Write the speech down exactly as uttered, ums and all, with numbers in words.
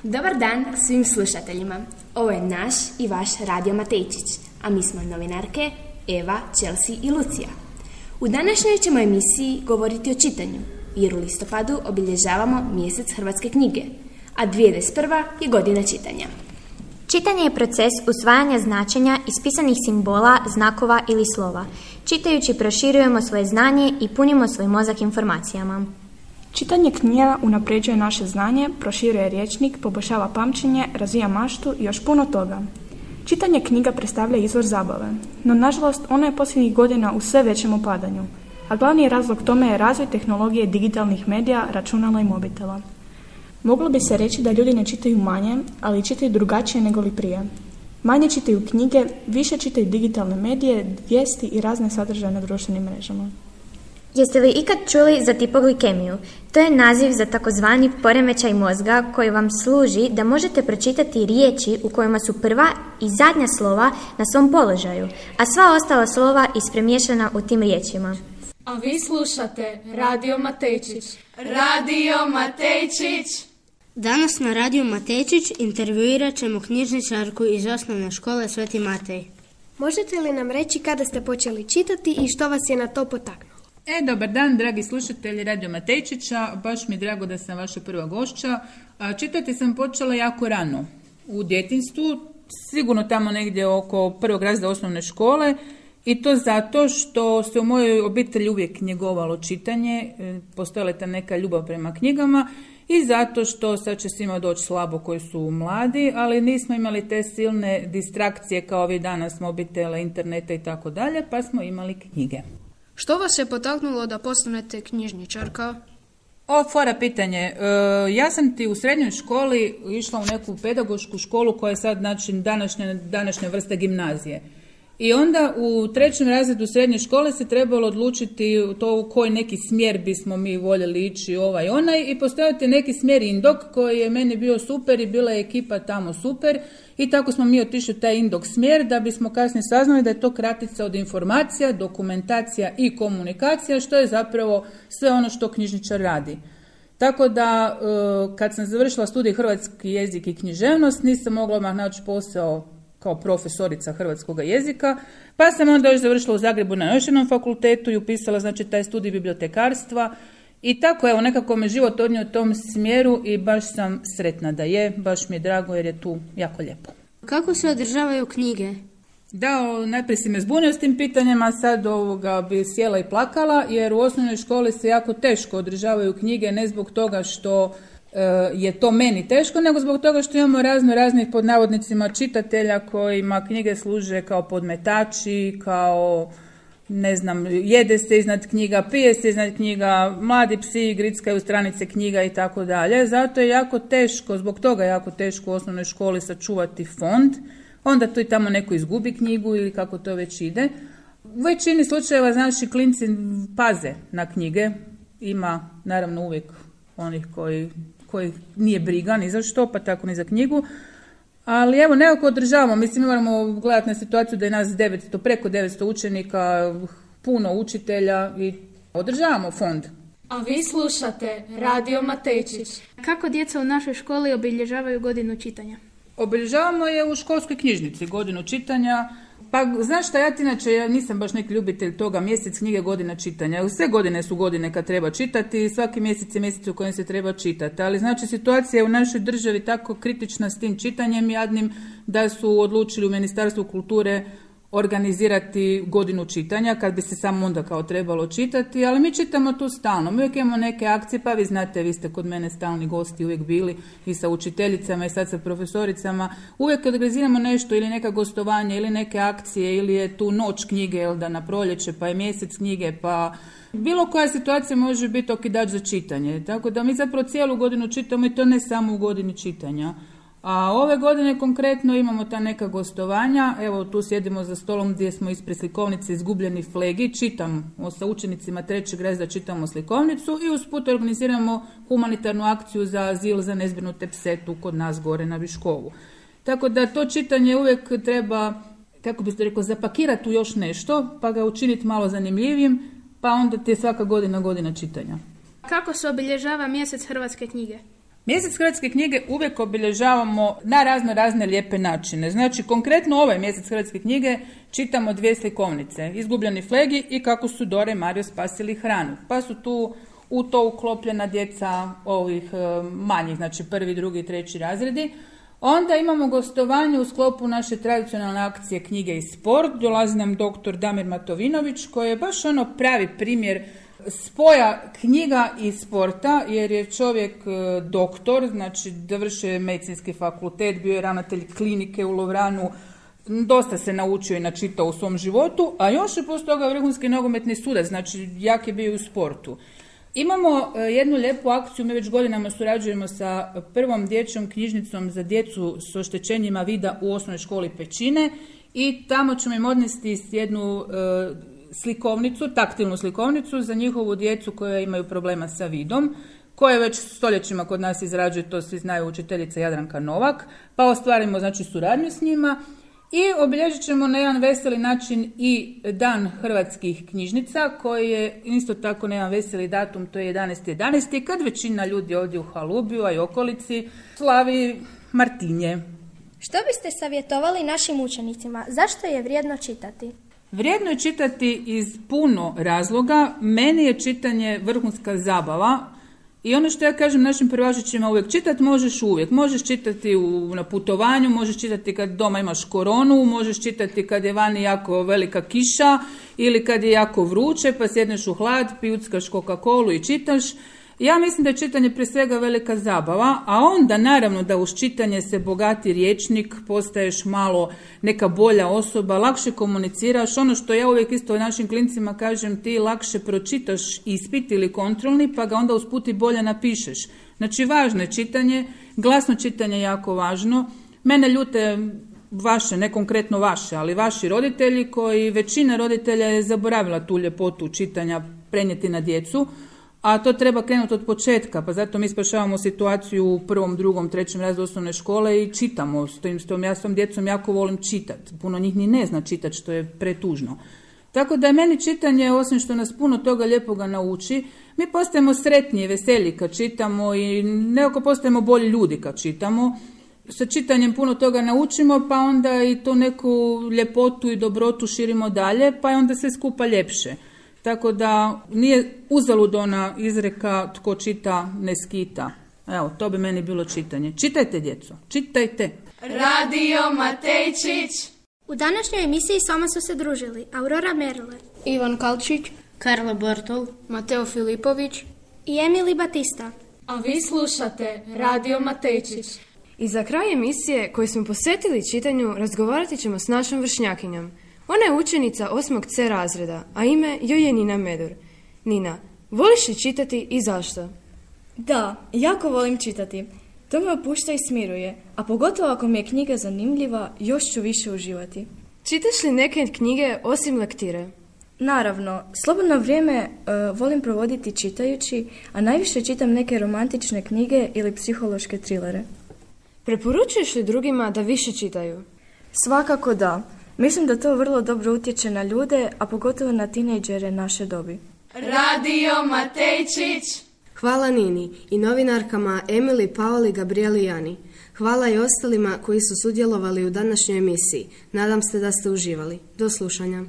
Dobar dan svim slušateljima. Ovo je naš i vaš Radio Matejčić, a mi smo novinarke Eva, Chelsea i Lucija. U današnjoj ćemo emisiji govoriti o čitanju, jer u listopadu obilježavamo mjesec hrvatske knjige, a dvije tisuće dvadeset prva je godina čitanja. Čitanje je proces usvajanja značenja iz pisanih simbola, znakova ili slova. Čitajući proširujemo svoje znanje i punimo svoj mozak informacijama. Čitanje knjiga unapređuje naše znanje, proširuje rječnik, poboljšava pamćenje, razvija maštu i još puno toga. Čitanje knjiga predstavlja izvor zabave, no nažalost ono je posljednjih godina u sve većem opadanju, a glavni razlog tome je razvoj tehnologije digitalnih medija, računala i mobitela. Moglo bi se reći da ljudi ne čitaju manje, ali čitaju drugačije nego li prije. Manje čitaju knjige, više čitaju digitalne medije, vijesti i razne sadržaje na društvenim mrežama. Jeste li ikad čuli za hipoglikemiju? To je naziv za takozvani poremećaj mozga koji vam služi da možete pročitati riječi u kojima su prva i zadnja slova na svom položaju, a sva ostala slova ispremiješana u tim riječima. A vi slušate Radio Matejčić. Radio Matejčić! Danas na Radio Matejčić intervjuirat ćemo knjižničarku iz osnovne škole Sveti Matej. Možete li nam reći kada ste počeli čitati i što vas je na to potaknulo? E, dobar dan, dragi slušatelji Radio Matejčića, baš mi je drago da sam vaša prva gošća. Čitati sam počela jako rano, u djetinjstvu, sigurno tamo negdje oko prvog razreda osnovne škole, i to zato što se u mojoj obitelji uvijek njegovalo čitanje, postojala je ta neka ljubav prema knjigama i zato što sad će svima doći slabo koji su mladi, ali nismo imali te silne distrakcije kao vi danas, mobitela, interneta i tako dalje, pa smo imali knjige. Što vas je potaknulo da postanete knjižničarka? O, fora pitanje. E, ja sam ti u srednjoj školi išla u neku pedagošku školu koja je sad znači, današnja, današnja vrsta gimnazije. I onda u trećem razredu srednje škole se trebalo odlučiti to u koji neki smjer bismo mi voljeli ići, ovaj onaj, i postojati neki smjer Indok koji je meni bio super i bila je ekipa tamo super i tako smo mi otišli u taj Indok smjer da bismo kasnije saznali da je to kratica od informacija, dokumentacija i komunikacija, što je zapravo sve ono što knjižničar radi. Tako da kad sam završila studij hrvatski jezik i književnost nisam mogla odmah naći posao kao profesorica hrvatskog jezika, pa sam onda još završila u Zagrebu na još jednom fakultetu i upisala znači taj studij bibliotekarstva i tako evo nekako me život odnio u tom smjeru i baš sam sretna da je, baš mi je drago jer je tu jako lijepo. Kako se održavaju knjige? Da, o, najprije si me zbunio s tim pitanjima, sad ovoga bi sjela i plakala jer u osnovnoj školi se jako teško održavaju knjige, ne zbog toga što je to meni teško, nego zbog toga što imamo razno raznih pod navodnicima čitatelja kojima knjige služe kao podmetači, kao ne znam, jede se iznad knjiga, pije se iznad knjiga, mladi psi grickaju stranice knjiga i tako dalje. Zato je jako teško, zbog toga je jako teško u osnovnoj školi sačuvati fond. Onda tu i tamo neko izgubi knjigu ili kako to već ide. U većini slučajeva, znači, klinci paze na knjige. Ima, naravno, uvijek onih koji koji nije briga ni za što, pa tako ni za knjigu. Ali evo, nekako održavamo. Mislim, moramo gledati na situaciju da je nas devetsto, preko devetsto učenika, puno učitelja i održavamo fond. A vi slušate Radio Matejčić. Kako djeca u našoj školi obilježavaju godinu čitanja? Obilježavamo je u školskoj knjižnici, godinu čitanja. Pa znaš šta, ja ti inače ja nisam baš neki ljubitelj toga, mjesec knjige, godina čitanja. Sve godine su godine kad treba čitati, svaki mjesec je mjesec u kojem se treba čitati. Ali znači situacija je u našoj državi tako kritična s tim čitanjem jadnim da su odlučili u Ministarstvu kulture organizirati godinu čitanja, kad bi se samo onda kao trebalo čitati, ali mi čitamo tu stalno. Mi uvijek imamo neke akcije, pa vi znate, vi ste kod mene stalni gosti uvijek bili i sa učiteljicama i sad sa profesoricama. Uvijek organiziramo nešto ili neka gostovanja ili neke akcije ili je tu noć knjige, jel da, na proljeće, pa je mjesec knjige, pa bilo koja situacija može biti okidač za čitanje. Tako da mi zapravo cijelu godinu čitamo i to ne samo u godini čitanja. A ove godine konkretno imamo ta neka gostovanja, evo tu sjedimo za stolom gdje smo ispred slikovnice Izgubljeni flegi, čitamo sa učenicima trećeg razreda, čitamo slikovnicu i usput organiziramo humanitarnu akciju za azil za nezbrinute pse tu kod nas gore na Viškovu. Tako da to čitanje uvijek treba, kako biste rekao, zapakirati u još nešto, pa ga učiniti malo zanimljivim, pa onda ti je svaka godina godina čitanja. Kako se obilježava mjesec hrvatske knjige? Mjesec hrvatske knjige uvijek obilježavamo na razno razne lijepe načine. Znači, konkretno ovaj mjesec hrvatske knjige čitamo dvije slikovnice. Izgubljeni flegi i kako su Dora i Mario spasili hranu. Pa su tu u to uklopljena djeca ovih e, manjih, znači prvi, drugi, treći razredi. Onda imamo gostovanje u sklopu naše tradicionalne akcije Knjige i sport. Dolazi nam doktor Damir Matovinović koji je baš ono pravi primjer spoja knjiga i sporta, jer je čovjek e, doktor, znači završio medicinski fakultet, bio je ravnatelj klinike u Lovranu, dosta se naučio i načitao u svom životu, a još je poslije toga vrhunski nogometni sudac, znači jak je bio u sportu. Imamo e, jednu lijepu akciju, mi već godinama surađujemo sa prvom dječjom knjižnicom za djecu s oštećenjima vida u osnovnoj školi Pećine i tamo ćemo im odnesti jednu e, slikovnicu, taktilnu slikovnicu za njihovu djecu koja imaju problema sa vidom, koje već stoljećima kod nas izrađuje, to svi znaju, učiteljica Jadranka Novak, pa ostvarimo znači suradnju s njima i obilježit ćemo na jedan veseli način i dan hrvatskih knjižnica, koji je isto tako na jedan veseli datum, to je jedanaesti jedanaesti kad većina ljudi ovdje u Halubiju, a i okolici, slavi Martinje. Što biste savjetovali našim učenicima? Zašto je vrijedno čitati? Vrijedno je čitati iz puno razloga. Meni je čitanje vrhunska zabava i ono što ja kažem našim prvašićima uvijek, čitati možeš uvijek. Možeš čitati u, na putovanju, možeš čitati kad doma imaš koronu, možeš čitati kad je vani jako velika kiša ili kad je jako vruće pa sjedneš u hlad, pijuckaš Coca-Colu i čitaš. Ja mislim da je čitanje prije svega velika zabava, a onda naravno da uz čitanje se bogati rječnik, postaješ malo neka bolja osoba, lakše komuniciraš. Ono što ja uvijek isto našim klincima kažem, ti lakše pročitaš ispit ili kontrolni, pa ga onda usput i bolje napišeš. Znači važno je čitanje, glasno čitanje je jako važno. Mene ljute vaše, ne konkretno vaše, ali vaši roditelji koji većina roditelja je zaboravila tu ljepotu čitanja prenijeti na djecu. A to treba krenuti od početka, pa zato mi spašavamo situaciju u prvom, drugom, trećem razredu osnovne škole i čitamo. S tim, s tom, ja s tom djecom jako volim čitati. Puno njih ni ne zna čitati, što je pretužno. Tako da je meni čitanje, osim što nas puno toga lijepoga nauči, mi postajemo sretniji, veseliji kad čitamo i nekako postajemo bolji ljudi kad čitamo. Sa čitanjem puno toga naučimo, pa onda i to neku ljepotu i dobrotu širimo dalje, pa je onda sve skupa ljepše. Tako da nije uzalud ona izreka tko čita ne skita. Evo, to bi meni bilo čitanje. Čitajte, djeco, čitajte. Radio Matejčić. U današnjoj emisiji s vama su se družili Aurora Merle, Ivan Kalčić, Karla Bortol, Mateo Filipović i Emily Batista. A vi slušate Radio Matejčić. I za kraj emisije koju smo posvetili čitanju razgovarati ćemo s našom vršnjakinjom. Ona je učenica osmog C razreda, a ime joj je Nina Medur. Nina, voliš li čitati i zašto? Da, jako volim čitati. To me opušta i smiruje, a pogotovo ako mi je knjiga zanimljiva, još ću više uživati. Čitaš li neke knjige osim lektire? Naravno, slobodno vrijeme uh, volim provoditi čitajući, a najviše čitam neke romantične knjige ili psihološke trilere. Preporučuješ li drugima da više čitaju? Svakako da. Mislim da to vrlo dobro utječe na ljude, a pogotovo na tinejdžere naše dobi. Radio Matejčić. Hvala Nini i novinarkama Emily, Paoli, Gabrieli i Jani. Hvala i ostalima koji su sudjelovali u današnjoj emisiji. Nadam se da ste uživali. Do slušanja.